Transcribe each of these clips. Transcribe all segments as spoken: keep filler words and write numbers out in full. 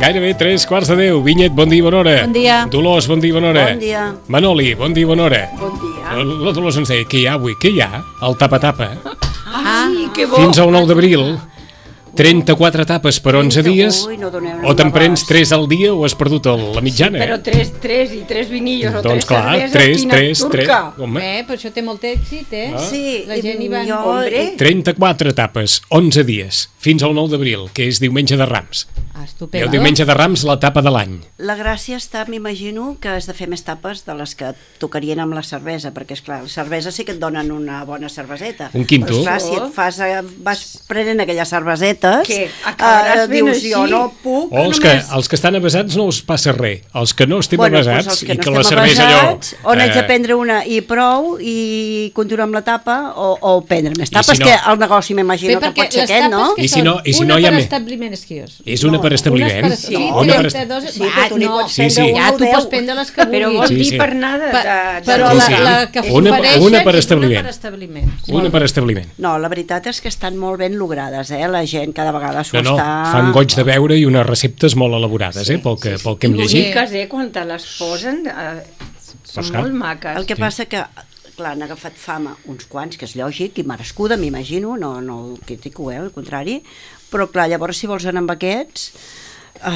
Gairebé tres quarts de deu. Vinyet, bon dia, bona hora. Bon dia. Dolors, bon dia, bona hora. Bon dia. Manoli, bon dia, bona hora. Bon dia. La, la Dolors ens deia, què hi ha avui? Què hi ha? El tapa-tapa. Ah, sí, que bo. Fins al nou d'abril. trenta-quatre tapes per onze dies. Ui, no doneu o te'n prens tres al dia o has perdut el, la mitjana. Sí, però tres, tres i tres vinillos o doncs tres clar, cerveses, tres, quina tres, turca. tres. Home. Eh, però això té molt èxit, eh? Ah. Sí, La gent hi va... jo... Hombre. trenta-quatre tapes, onze dies, fins al nou d'abril, que és diumenge de Rams. Ah, I estupendo. el diumenge de Rams, la tapa de l'any. La gràcia està, m'imagino, que has de fer més tapes de les que tocarien amb la cervesa, perquè, esclar, la cervesa sí que et donen una bona cerveseta. Un quinto. Però, esclar, si et fas, eh, vas prenent aquelles cervesetes, Què? Acabaràs fent dius, així? jo no puc O els que, només... els que estan avesats no us passa res. Els que no estem Bueno, avesats doncs els que i no que la estem cervesa avesats, allò... o n'haig de eh, prendre una i prou i continuar amb la tapa, o, o prendre més I tapes, si no- que el negoci m'imagino que pot ser aquest, no? I si no- i si una no hi ha per més? establiment, és que és. És una per establiment. Unes per... Sí, No, una per est- trenta-dos... Sí, però tu n'hi no, pots Sí, sí. prendre ja una o tu deu. pots prendre les que vulguis. Però vol Sí, dir sí. per anar de... Pa- de, de però Sí, la, sí. la que Una- ofereixen una per és establiment. Una per establiment. Una per establiment. No, la veritat és que estan molt ben logrades, eh? La gent cada vegada s'ho No, no, està... fan goig de veure i unes receptes molt elaborades, eh, pel que, pel que hem I llegit. boniques, eh, quan te les posen, eh, són Pues clar. molt maques. El que passa que, clar, han agafat fama uns quants, que és lògic, i merescuda, m'imagino, no, no el critico, eh, al contrari, però clar, llavors si vols anar amb aquests, uh,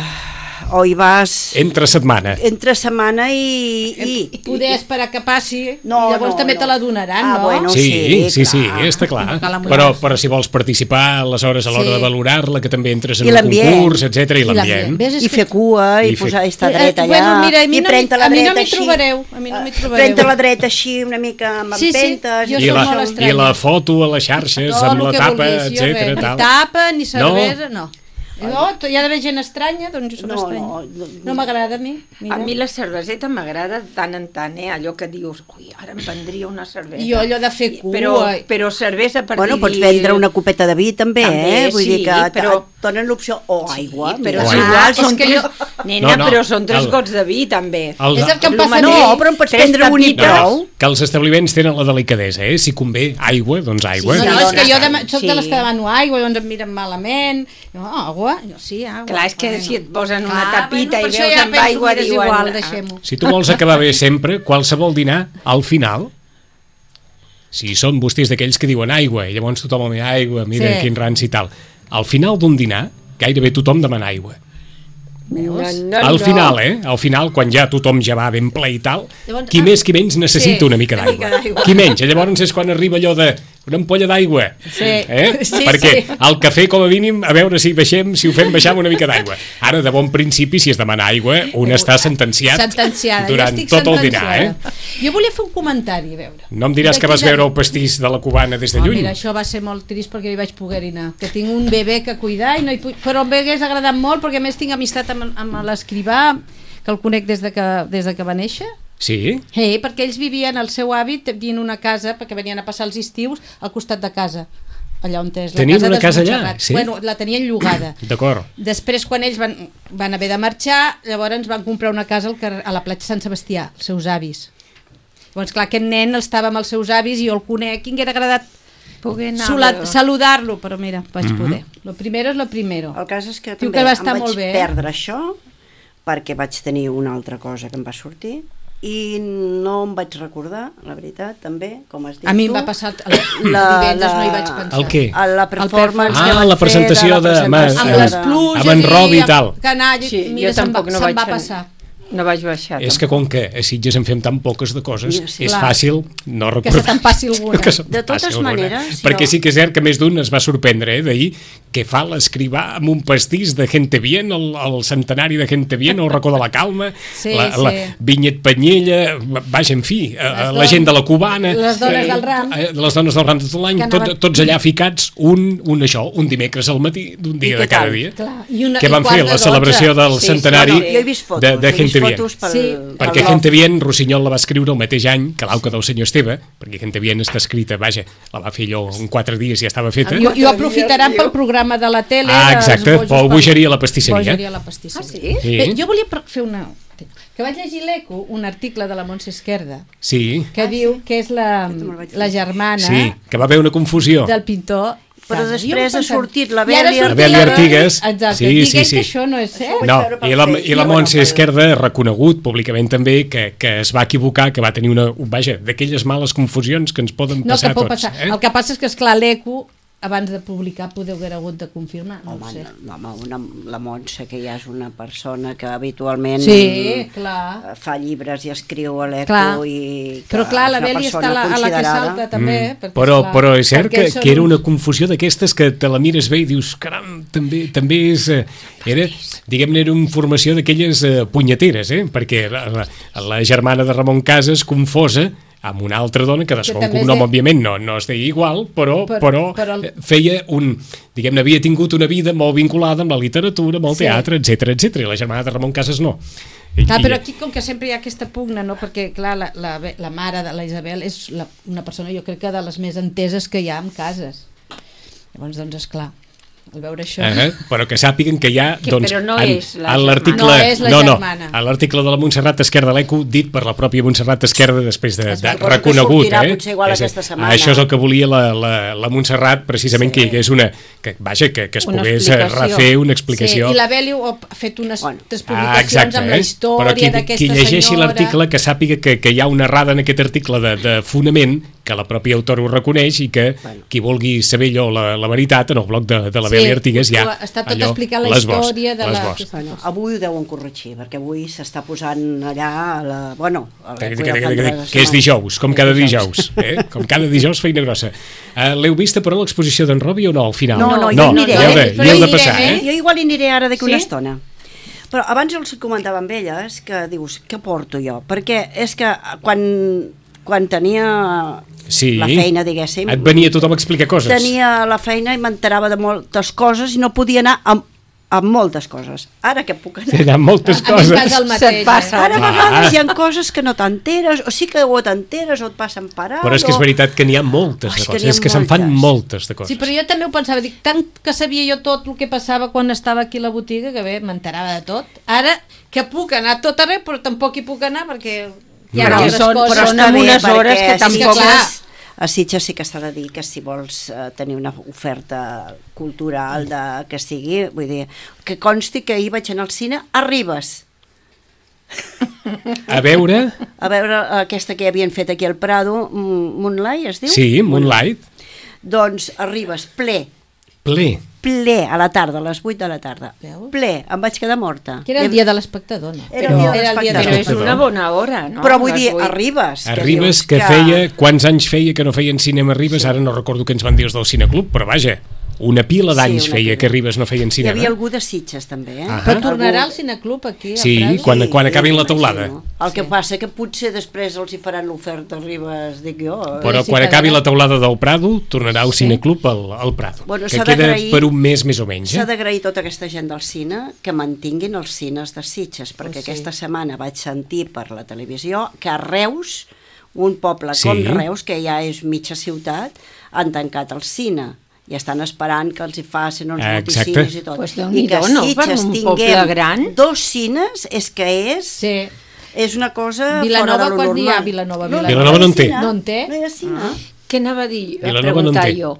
o hi vas Entre setmana. entre setmana i... i Poder esperar que passi No, i llavors no, també no. te la donaran, Ah, no? bueno. Sí, sí, sí, sí, clar. està clar. No cal amolar-se. Però, però si vols participar, aleshores a l'hora Sí. de valorar-la, que també entres en I un l'ambient. concurs, etcètera, i l'ambient. Ves, és i que- fer cua, i, I fer- posar, i estar Eh, dret eh, allà, bueno, mira, a mi i no prendre m'hi- la a mi no dreta m'hi així. trobareu, a mi no m'hi Eh, trobareu. Prendre la dreta així, una mica amb Sí, sí, empentes. jo I soc la, molt I estranya. la foto a les xarxes, No, amb el la que tapa, vulguis, jo etcètera. res. Tal. Ni tapa, ni cervesa, no. No, hi ha d'haver gent estranya, doncs jo soc No, estranya. no, No, no. m'agrada a mi. Mira. A mi la cerveseta m'agrada de tant en tant, eh? Allò que dius, ui, ara em prendria una cervesa. I jo allò de fer cua. Però, però cervesa per Bueno, dir... pots vendre una copeta de vi també, També, eh? Vull sí, dir que però- però... et donen l'opció o aigua. Sí, però mira. és O aigua. igual, És són que tres... jo- Nena, No, no, però són tres el- gots de vi, també. El, És el que em El passa a mi. No, però en pots Tres prendre un i tapites. prou. que els establiments tenen la delicadesa, eh? Si convé aigua, doncs aigua. No, Sí, no, és que jo dona- de, soc de les sí. que demano aigua, llavors em miren malament. Jo, aigua? Jo, sí, aigua. Clar, és que Bueno. si et posen una Clar, tapita bueno, i per això veus ja amb penso, aigua, mira, és diuen... igual, ah, deixem-ho. Si tu vols acabar bé sempre, qualsevol dinar, al final, si són vostès d'aquells que diuen aigua, i llavors tothom demana aigua, mira Sí. quin ranci i tal, al final d'un dinar, gairebé tothom demana aigua. No, no, Al no. final, eh? Al final, quan ja tothom ja va ben ple i tal, Llavors, qui ah, més qui menys necessita sí, una mica una mica d'aigua. d'aigua. Qui menys, i llavors és quan arriba allò de una ampolla d'aigua. Sí. Eh? Sí, Perquè sí. el cafè, com a mínim, a veure si baixem, si ho fem baixar amb una mica d'aigua. Ara, de bon principi, si es demana aigua, un està sentenciat Sentenciada. durant jo estic tot el dinar, eh? sentenciada. Jo volia fer un comentari, a veure. No em diràs que vas D'aquí de- veure el pastís de la cubana des de Oh, lluny? mira, això va ser molt trist perquè hi vaig poder anar. Que tinc un bebè que cuidar, i no hi puc... però em hagués agradat molt perquè a més tinc amistat amb, amb l'escrivà, que el conec des de que, des de que va néixer. Sí? Eh, perquè ells vivien, el seu hàbit, tenien una casa, perquè venien a passar els estius al costat de casa, allà on és la Tenien casa una dels casa allà, Montserrat. sí? Bueno, la tenien llogada. D'acord. Després, quan ells van, van haver de marxar, llavors van comprar una casa al carrer, a la platja Sant Sebastià, els seus avis. Llavors, clar, aquest nen estava amb els seus avis i jo el conec i m'haguera agradat poder anar Sula- a veure. saludar-lo, però mira, vaig Mhm. poder. Lo primero es lo primero. El cas és que Diu també que va em estar vaig molt bé, eh? perdre això perquè vaig tenir una altra cosa que em va sortir i no em vaig recordar, la veritat, també, com has dit A mi em tu. va passar... El La- divendres la- no hi vaig pensar. El què? A la performance Ah, que van la fer presentació de- la amb- presentació Amb amb- les de- pluges amb en Robi i tal. Que anar, Sí, mira, jo se'm va, tampoc no se'm vaig va anar. passar. No vaig baixar. És que com que a Sitges en fem tan poques de coses, Mira, sí, és clar. fàcil no Que recordar. se te'n passi alguna. Que se te'n De totes passi alguna. maneres, Perquè jo- sí que és cert que més d'un es va sorprendre, eh, d'ahir, que fa l'escrivà amb un pastís de Gente Bien, el, el centenari de Gente Bien, el racó de la Calma, Sí, la, sí. la Vinyet Panyella, vaja, en fi, eh, la dones- gent de la Cubana, les dones eh, del ram. eh, les dones del ram de tot l'any, Que tot, anaven- tots allà ficats, un, un això, un dimecres al matí, d'un dia I de què cada tal? dia. Clar, i una- que i van quart fer de la dotze. celebració del Sí, centenari No, no, jo he vist fotos, de, de he vist Gente Bien. fotos pel, Sí. pel Perquè blog. Gente Bien, Rossinyol la va escriure el mateix any que l'auca del senyor Esteve, perquè Gente Bien està escrita, vaja, la va fer allò en quatre dies i ja estava feta. I, i ho aprofitaran pel programa de la tele. Ah, dels exacte, bojos o per- bogeria a la pastisseria. Bogeria a la pastisseria. Ah, sí? Sí. Eh, jo volia pro- fer una... Que vaig llegir l'Eco, un article de la Montse Esquerda, Sí, que diu que és la, Aquest me'l vaig la llegir. germana sí, que va haver una confusió. del pintor. Però Casa. després Jo em ha pensava- sortit la I ara Bèlia- surt La Bèlia Artigues. Exacte, Sí, dient sí, sí. que això no és cert. No, veure pel i la, Facebook. i la Bueno, Montse pel- Esquerda ha reconegut públicament també que, que es va equivocar, que va tenir una, vaja, d'aquelles males confusions que ens poden No, passar que pot a tots. passar. Eh? El que passa és que, esclar, l'Eco, abans de publicar, podeu haver hagut de confirmar, no Home, ho sé. no, home una, la Montse, que ja és una persona que habitualment Sí, clar. eh, fa llibres i escriu a l'Eco Clar. i que Però clar, la és una Bèlia està persona a la, a la que considerada. salta també. perquè, Però, esclar, però és cert perquè que, són que era uns- una confusió d'aquestes que te la mires bé i dius, caram, també, també és... eh, Era, diguem-ne, era una informació d'aquelles eh, punyeteres, eh? Perquè la, la, la germana de Ramon Casas confosa amb una altra dona que de segon també és cognom, de- òbviament, no, no es deia igual, però, Però- però, però el- eh, feia un... Diguem-ne, havia tingut una vida molt vinculada amb la literatura, amb el Sí. teatre, etcètera, etcètera, i la germana de Ramon Casas no. I, Clar, i- però aquí com que sempre hi ha aquesta pugna, no? Perquè clar, la, la, la mare de la Isabel és la, una persona, jo crec que de les més enteses que hi ha en cases. Llavors, doncs, esclar, al veure això... Eh, però que sàpiguen que hi ha, Que- doncs, però no en, és la en l'article, germana. No és la no, no, germana. a l'article de la Montserrat Esquerda de l'Eco, dit per la pròpia Montserrat Esquerda després de, Es de va- suposo que reconegut, sortirà eh? potser igual És a- aquesta setmana. Això és el que volia la, la, la Montserrat, precisament, Sí. que hi hagués una, que, vaja, que, que es Una pogués eh, explicació. refer una explicació. Sí, i la Bèlia ha fet unes Bueno. tres Ah, publicacions exacte, amb la eh? història Però qui, d'aquesta qui llegeixi senyora. l'article que sàpiga que, que hi ha una errada en aquest article de, de fonament, que la pròpia autora ho reconeix i que Bueno. qui vulgui saber allò, la, la veritat, en el blog de, de la Sí, Bèlia Artigues ja està tot allò, explicant la les bos, història de les la- bos. Bueno, avui ho deuen corregir, perquè avui s'està posant allà a la... Bueno, a Que, l'Eco que, ja que, fa que, tres que és setmanes. dijous, com És cada dijous, eh? com cada dijous feina grossa. Uh, L'heu vista però l'exposició d'en Robi o no al final? No, no, jo no, hi aniré. hi heu de, Però hi heu hi de passar, anirem, eh? Jo igual hi aniré ara d'aquí Sí? una estona. Però abans els comentava amb elles que dius, què porto jo? Perquè és que quan, quan tenia Sí. la feina, diguéssim, Et venia tothom a explicar coses. tenia la feina i m'enterava de moltes coses i no podia anar amb, amb moltes coses. Ara que puc anar... Hi ha moltes A mi em coses. passa el mateix. Se't passa. eh? Ara a Ah. vegades hi ha coses que no t'enteres, o sí que o t'enteres o et passen per alt. Però és que és o- veritat que n'hi ha moltes Oh, de és que coses. n'hi ha És que se'n fan moltes. moltes de coses. Sí, però jo també ho pensava, dic, tant que sabia jo tot el que passava quan estava aquí a la botiga, que bé, m'enterava de tot. Ara, que puc anar a tot arreu, però tampoc hi puc anar perquè hi ha No. altres Són- coses. però està amb bé, unes perquè hores que a tampoc- Sitges- A Sitges sí que s'ha de dir que si vols eh, tenir una oferta cultural de, que sigui, vull dir, que consti que ahir vaig anar al cine a Ribes, A veure... a veure aquesta que havien fet aquí al Prado, mm, Moonlight es diu? Sí, Moonlight. Doncs a Ribes, ple, Ple. ple, a la tarda, a les vuit de la tarda. Veus? Ple, em vaig quedar morta. Que era el dia de l'espectador, no? Era el dia de Era el dia de Però és l'espectador. una bona hora, no? Però vull Les dir, vuit. a Ribes. A Ribes, dius que feia... Quants anys feia que no feien cinema a Ribes? Ara no recordo què ens van dir els del Cineclub, però vaja, una pila d'anys Sí, una feia pila. que a Ribes no feien Hi cinema. havia algú de Sitges, també, eh? Ah. Però tornarà Algú- al cineclub aquí, a Sí, Prado? quan- quan acabin la m'imagino. teulada. El que passa que potser després els hi faran l'oferta a Ribes, dic jo. eh? Però Sí, quan quedarà. acabi la teulada del Prado, tornarà al Cineclub al, al Prado, Bueno, que s'ha queda d'agrair- per un mes més o menys. S'ha Eh? d'agrair tota aquesta gent del cine que mantinguin els cines de Sitges, perquè Oh, sí. aquesta setmana vaig sentir per la televisió que a Reus, un poble Sí. com Reus, que ja és mitja ciutat, han tancat el cine i estan esperant que els hi facin uns Ah, exacte. multicines i tot. Pues I que Déu-n'hi-do, no? Per Sitges un tinguem poble gran. dos cines és que és... Sí. És una cosa Vilanova, fora de lo quan normal. hi ha Vilanova? No, Vilanova Vilanova no en té. cine. No en té? No hi ha cine. Ah. què anava a dir? A Vilanova no en preguntar té. jo.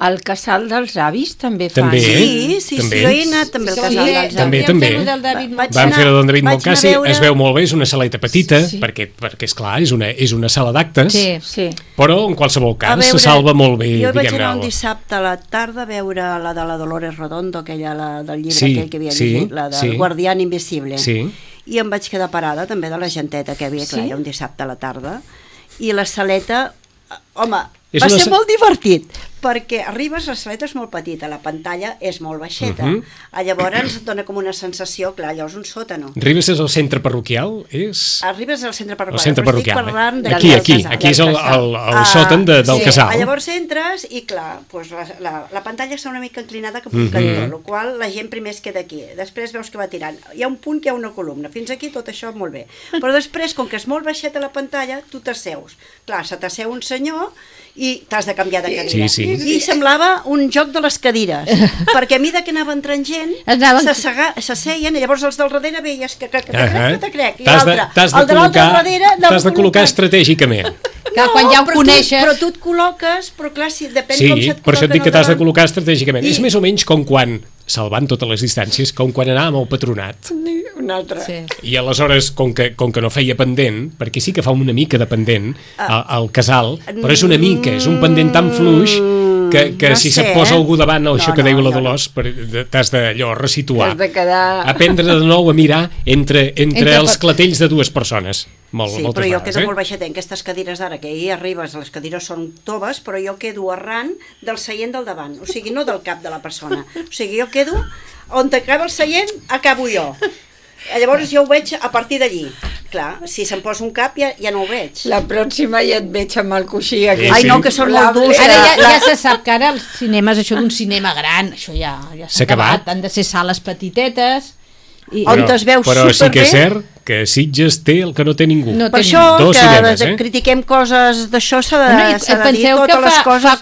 El casal dels avis també fa. També. Sí, sí, També. sí, jo he anat també al Sí, casal sí, dels També, avis. també. Vam fer-ho del David Vaig Vam anar- fer-ho d'on David vaig Moncasi, anar a veure- es veu molt bé, és una saleta petita, Sí. perquè, perquè és clar, és una, és una sala d'actes, Sí. Sí. però en qualsevol A cas veure, se salva molt bé, jo vaig diguem-ne. anar un el- dissabte a la tarda a veure la de la Dolores Redondo, aquella la, del llibre Sí, aquell que havia sí, llegit, la del sí. Guardián Invisible. Sí. I em vaig quedar parada també de la genteta que havia, clar, Sí? era un dissabte a la tarda, i la saleta, eh, home, És va una ser sa- molt divertit, perquè arribes, la saleta és molt petita, la pantalla és molt baixeta, Mhm. uh-huh. llavors et dona com una sensació, clar, allò és un sòtano. Ribes és el centre parroquial? És... Arribes al centre El parroquial, centre però estic parroquial. parlant Eh? de- Aquí, del aquí, casal. aquí és el, el, el Ah, sòtan de, del sí. casal. Llavors entres i clar, doncs la, la, la pantalla està una mica inclinada cap a un Mhm. cantó, el qual la gent primer es queda aquí, després veus que va tirant. Hi ha un punt que hi ha una columna, fins aquí tot això molt bé. Però després, com que és molt baixeta la pantalla, tu t'asseus. Clar, se t'asseu un senyor i t'has de canviar de cadira. Sí, sí. I semblava un joc de les cadires, perquè a mida que anava entrant gent, Anaven- s'assega- s'asseien i llavors els del darrere veies que, que, que te crec, Ahà. que te crec, i T'has de, l'altre, t'has de el de l'altre col·locar, darrere anava t'has de col·locar col·locat. estratègicament. Clar, quan ja ho però coneixes... Tu, però tu et col·loques, però clar, si depèn Sí, com se't per això et dic col·loquen que t'has de al davant. col·locar estratègicament. I- És més o menys com quan, salvant totes les distàncies, com quan anàvem al patronat. Un altre. Sí. I aleshores, com que, com que no feia pendent, perquè sí que fa una mica de pendent al, al casal, però és una mica, és un pendent tan fluix que, que no si sé, se't posa eh? algú davant, no, No, això que no, deia la jo no. Dolors, per- de- t'has d'allò resituar. Has de quedar... Aprendre de nou a mirar entre, entre, Entre els pa- clatells de dues persones. Molt, Sí, moltes però jo vegades, quedo eh? molt baixeta en aquestes cadires d'ara, que ahir arribes, les cadires són toves, però jo quedo arran del seient del davant, o sigui, no del cap de la persona. O sigui, jo quedo, on acaba el seient, acabo jo. Llavors jo ho veig a partir d'allí. Clar, si se'm posa un cap ja, ja no ho veig. La pròxima ja et veig amb el coixí aquí. Sí, Ai, sí. no, que són molt durs. Ara ja, La- ja se sap que ara els cinemes, això d'un cinema gran, això ja, ja S'ha s'ha acabat. acabat. Han de ser sales petitetes. I, On Però, es veu però sí que és superbé. cert que Sitges té el que no té ningú. No Per té això Dos que cinemes, de- eh? critiquem coses d'això s'ha de, Bueno, i s'ha de dir penseu que totes les fa, coses. fa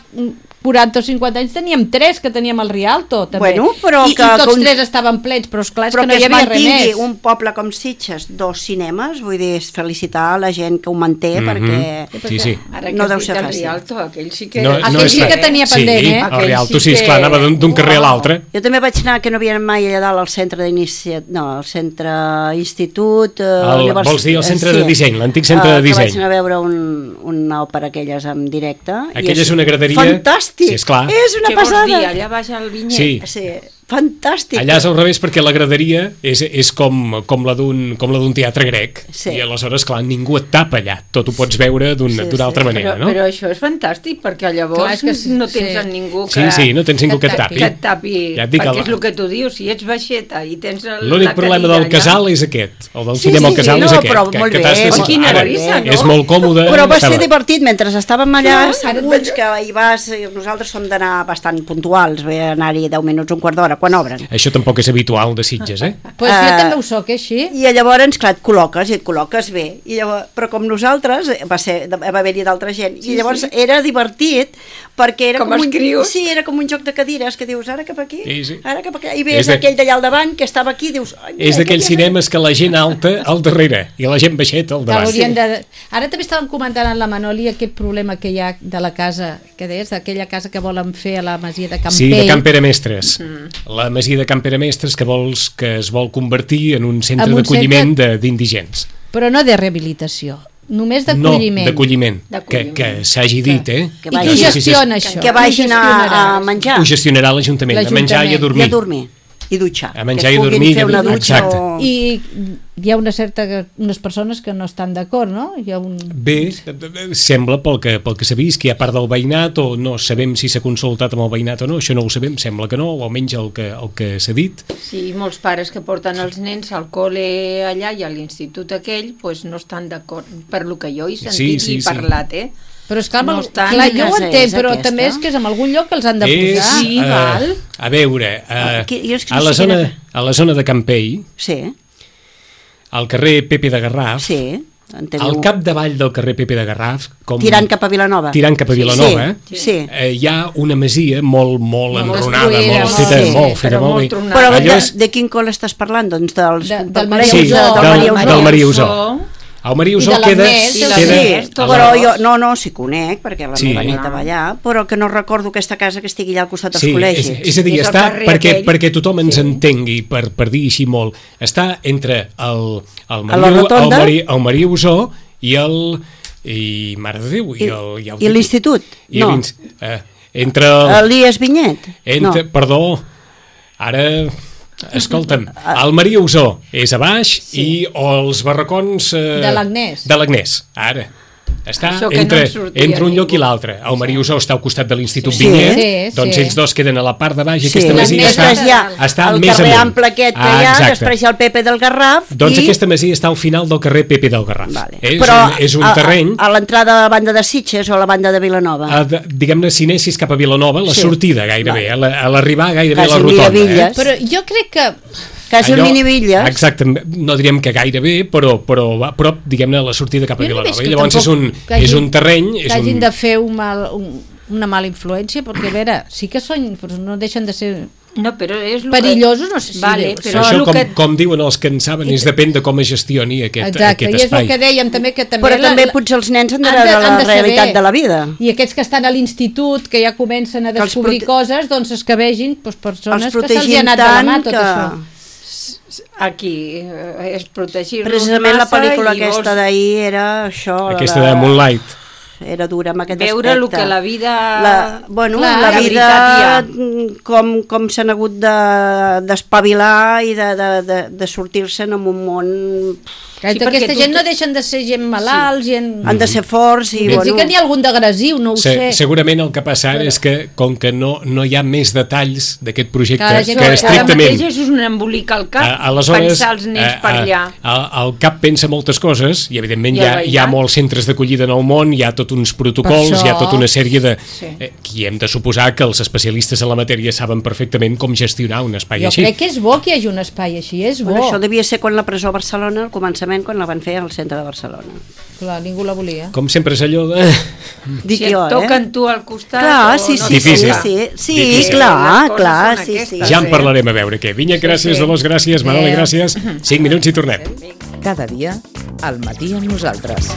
quaranta o cinquanta anys teníem tres, que teníem el Rialto, també. Bueno, però I, que- I tots que un- tres estaven plens, però esclar, és Però que no que hi es havia res mantingui més. un poble com Sitges, dos cinemes, vull dir, és felicitar la gent que ho manté, Mhm. perquè Sí, sí. Ara que no has deu dit ser el fàcil. Rialto, aquell sí que... No, aquell no Aquell és sí que fàcil. tenia pendent, sí, eh? el Aquell Rialto, sí sí, esclar, que- anava d'un d'un carrer a l'altre. Jo també vaig anar, que no havia mai allà dalt al centre d'inici... No, al centre institut... Eh, El- univers- vols dir el centre eh, de disseny, l'antic centre Eh, de Que disseny. vaig anar a veure un, una òpera aquelles en directe. i Aquella és una graderia- Fantàstic! Sí, esclar. És una Què vols passada! dir? Allà baix al Vinyet? Sí. Sí, fantàstic. Allà és al revés perquè la graderia és, és com, com la d'un com la d'un teatre grec Sí. i aleshores, clar, ningú et tapa allà. Tot ho pots veure d'una Sí, d'una altra sí. manera, Però, no? però això és fantàstic, perquè llavors Clar, és que sí, no tens sí. a ningú Sí, que, sí, no tens ningú que et que et tapi. que et tapi, Ja et dic, perquè el- és el que tu dius, si ets baixeta i tens el, L'únic la problema cadira del allà, casal és aquest. El del Sí, cinema sí, al casal sí, és no, aquest. però que, molt que bé, t'has de- molt quina ara, risa, no? és molt còmode. Però va estava- ser divertit, mentre estàvem allà, Clar, seguts que hi vas, eh, nosaltres som d'anar bastant puntuals, ve anar-hi deu minuts, un quart d'hora, quan obren. Això tampoc és habitual de Sitges, eh? Pues jo Eh, també ho soc, eh, així. I llavors, clar, et col·loques, i et col·loques bé. I llavors, però com nosaltres, eh, va, ser, va haver-hi d'altra gent, Sí, i llavors sí. era divertit, perquè era Com com, els un, crios. sí, era com un joc de cadires, que dius, ara cap aquí, Sí, sí. ara cap aquí, i És ves de- aquell d'allà al davant, que estava aquí, dius... Ai, mira, És d'aquells aquell- cinemes que la gent alta al darrere i la gent baixeta al Que davant. haurien de... Ara també estaven comentant en la Manoli aquest problema que hi ha de la casa, que deies, d'aquella casa que volen fer a la masia de Campell. Sí, de Can Pere Mestres. Mm. La masia de Can Pere Mestres que vols que es vol convertir en un centre En un d'acolliment de- d'indigents. Però no de rehabilitació, només No, d'acolliment. d'acolliment. Que, D'acolliment. que s'hagi dit, eh? Que I qui vagi- gestiona això? Que vagin Qui a, a gestionarà? menjar, Ho gestionarà l'Ajuntament, a menjar i a i dormir. a dormir, i dutxar. A menjar que i es puguin dormir, fer una i- dutxa exacte. o... I hi ha una certa, unes persones que no estan d'acord, no? Hi ha un... Bé, sembla pel que, pel que s'ha vist que hi ha part del veïnat o no sabem si s'ha consultat amb el veïnat o no, això no ho sabem, sembla que no, o almenys el que, el que s'ha dit. Sí, molts pares que porten els nens al col·le allà i a l'institut aquell pues no estan d'acord, per lo que jo he sentit Sí, sí, i sí. parlat, eh? Però és que, No no estan- clar, jo ho Quina casa entenc, és però aquesta? també és que és en algun lloc que els han de És, posar. Sí, eh, val. a veure, eh, Ah, que- jo és que a, no la sé zona, quina- a la zona de Campell, Sí, al carrer Pepe de Garraf, sí. Enteneu? al capdavall del carrer Pepe de Garraf, com Tirant cap a Vilanova. tirant cap a Vilanova, Sí, sí. eh, hi ha una masia molt, molt Molt enronada, destruïda, molt molt- feta, sí, molt feta, però molt molt bé. tronada. Però Allò de, és- de quin col estàs parlant? Doncs dels, De- del del col·legi Maria Sí, de- Usó. del del- Maria Usó. del Maria Usó. El Maria I Usó de queda... l'Agnès, Sí, Queda- sí, queda- però jo, no, no, sí conec, perquè la Sí. meva neta va allà, però que no recordo aquesta casa que estigui allà al costat dels Sí, és, col·legis. és a dir, És el està, carrer perquè, aquell. perquè tothom ens Sí. entengui, per, per dir així molt, està entre el, el, A la Maria, el, rotonda? Maria, el Maria Usó i el... i Mare de Déu, i, I, el, i, el, i l'institut? i No. l'ins- Eh, entre el, Elias Vinyet? entre, No. Perdó, ara... Escolta'm, el Maria Usó és a baix sí. i els barracons... Eh, De l'Agnès. De l'Agnès, ara. Està Això que no entre, en sortia entre un lloc ningú. i l'altre. El Maria Usó està al costat de l'Institut Sí. Vinyet, Sí, doncs sí. ells dos queden a la part de baix i Sí, aquesta masia està, després hi ha està el més carrer amunt. ample aquest que Ah, hi ha, exacte. després hi ha el Pepe del Garraf Doncs i... aquesta masia està al final del carrer Pepe del Garraf. Vale. És, Però un, és un a, terreny... A, a l'entrada de la banda de Sitges o a la banda de Vilanova? A, de- diguem-ne, si anessis cap a Vilanova, la Sí. sortida gairebé, Vale. a la- a l'arribar gairebé Quasi a la rotonda. Miravilles. Eh? Però jo crec que... Quasi el Allò- Minivilles. Exacte, no diríem que gairebé, però, però va a prop, diguem-ne, a la sortida cap a Jo no Vilanova. veig I que llavors és tampoc un, que hagi- és un terreny... que És hagin un... de fer un mal, un, una mala influència, perquè a veure, sí que són, però no deixen de ser No, però és el perillosos, no sé si Vale, dius. però Això, el com, que... com diuen els que en saben, és depèn de com es gestioni aquest, Exacte, aquest i és espai. el que dèiem també, que també... Però la- també la- potser els nens han de han veure de- han la de saber. realitat de la vida. I aquests que estan a l'institut, que ja comencen a Que els descobrir prote- coses, doncs es que vegin doncs, persones Els que se'ls hi ha protegim anat de la mà tant tot que... això. Aquí eh, és protegir-los Precisament la massa pel·lícula i aquesta vols d'ahir era això... Aquesta la- de Moonlight. Era dura amb aquest veure aspecte. el que la vida... La, bueno, Clar, la la vida, veritat mm, com, com s'han hagut de- d'espavilar i de, de, de, de sortir-se'n en un món... Que Sí, aquesta perquè gent tu- no deixen de ser gent malalts, sí. gent... Han de ser forts i, Bueno, sí bueno... que n'hi ha algun d'agressiu, no ho Se, sé. segurament el que passa ara és que, com que no, no hi ha més detalls d'aquest projecte, Clar, la gent- que Ara Ara estrictament... mateix és un embolic al cap, A- aleshores, pensar els nens eh, per eh, allà. el- el cap pensa moltes coses i evidentment I hi ha, el hi ha veïnat. molts centres d'acollida en el món, hi ha tots uns protocols, Per això- hi ha tota una sèrie de... Sí. Eh, que hem de suposar que els especialistes en la matèria saben perfectament com gestionar un espai Jo així. crec que és bo que hi hagi un espai així, és bo. Bueno, això devia ser quan la presó a Barcelona, al començament, quan la van fer al centre de Barcelona. Clar, ningú la volia. Com sempre és allò de... Dic Si jo, et toquen eh? tu al costat Clar, o sí, no sí, Difícil. sí, sí, sí, Difícil. clar, Les coses clar, són sí, sí. aquestes. Ja en parlarem a veure què. Vinya, gràcies, sí. Dolors, gràcies, Manoli, gràcies. Cinc minuts i tornem. Cada dia, al matí amb nosaltres.